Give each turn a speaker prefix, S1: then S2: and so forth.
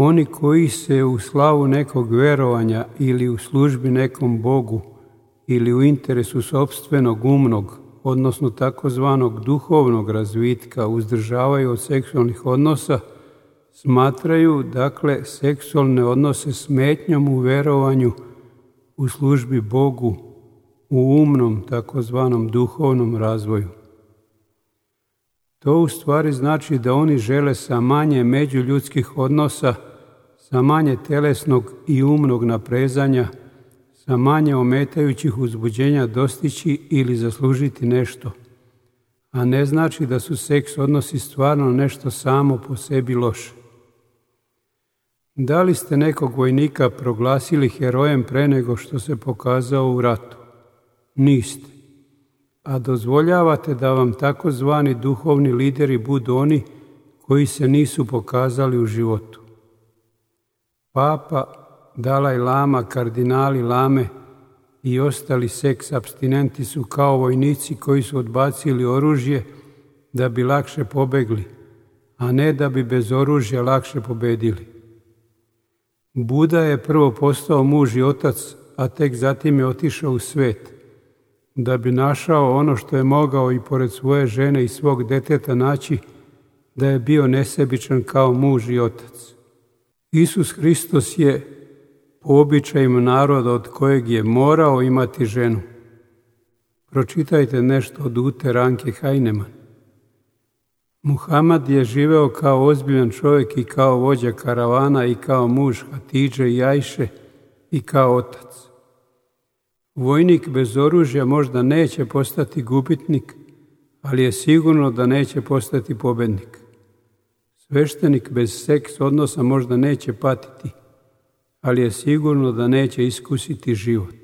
S1: Oni koji se u slavu nekog verovanja ili u službi nekom Bogu ili u interesu sopstvenog umnog, odnosno takozvanog duhovnog razvitka uzdržavaju od seksualnih odnosa, smatraju, dakle, seksualne odnose smetnjom u verovanju u službi Bogu u umnom, takozvanom duhovnom razvoju. To u stvari znači da oni žele sa manje međuljudskih odnosa, sa manje telesnog i umnog naprezanja, sa manje ometajućih uzbuđenja dostići ili zaslužiti nešto, a ne znači da su seks odnosi stvarno nešto samo po sebi loše. Da li ste nekog vojnika proglasili herojem pre nego što se pokazao u ratu? Niste. A dozvoljavate da vam takozvani duhovni lideri budu oni koji se nisu pokazali u životu. Papa, Dalaj Lama, kardinali Lame i ostali seks apstinenti su kao vojnici koji su odbacili oružje da bi lakše pobegli, a ne da bi bez oružja lakše pobedili. Buda je prvo postao muž i otac, a tek zatim je otišao u svet, da bi našao ono što je mogao i pored svoje žene i svog deteta naći, da je bio nesebičan kao muž i otac. Isus Hristos je, po običajima naroda od kojeg je morao imati ženu. Pročitajte nešto od Ute Ranke Heinemann. Muhamad je živeo kao ozbiljan čovjek i kao vođa karavana i kao muž Hatidže i Ajše i kao otac. Vojnik bez oružja možda neće postati gubitnik, ali je sigurno da neće postati pobednik. Sveštenik bez seks odnosa možda neće patiti, ali je sigurno da neće iskusiti život.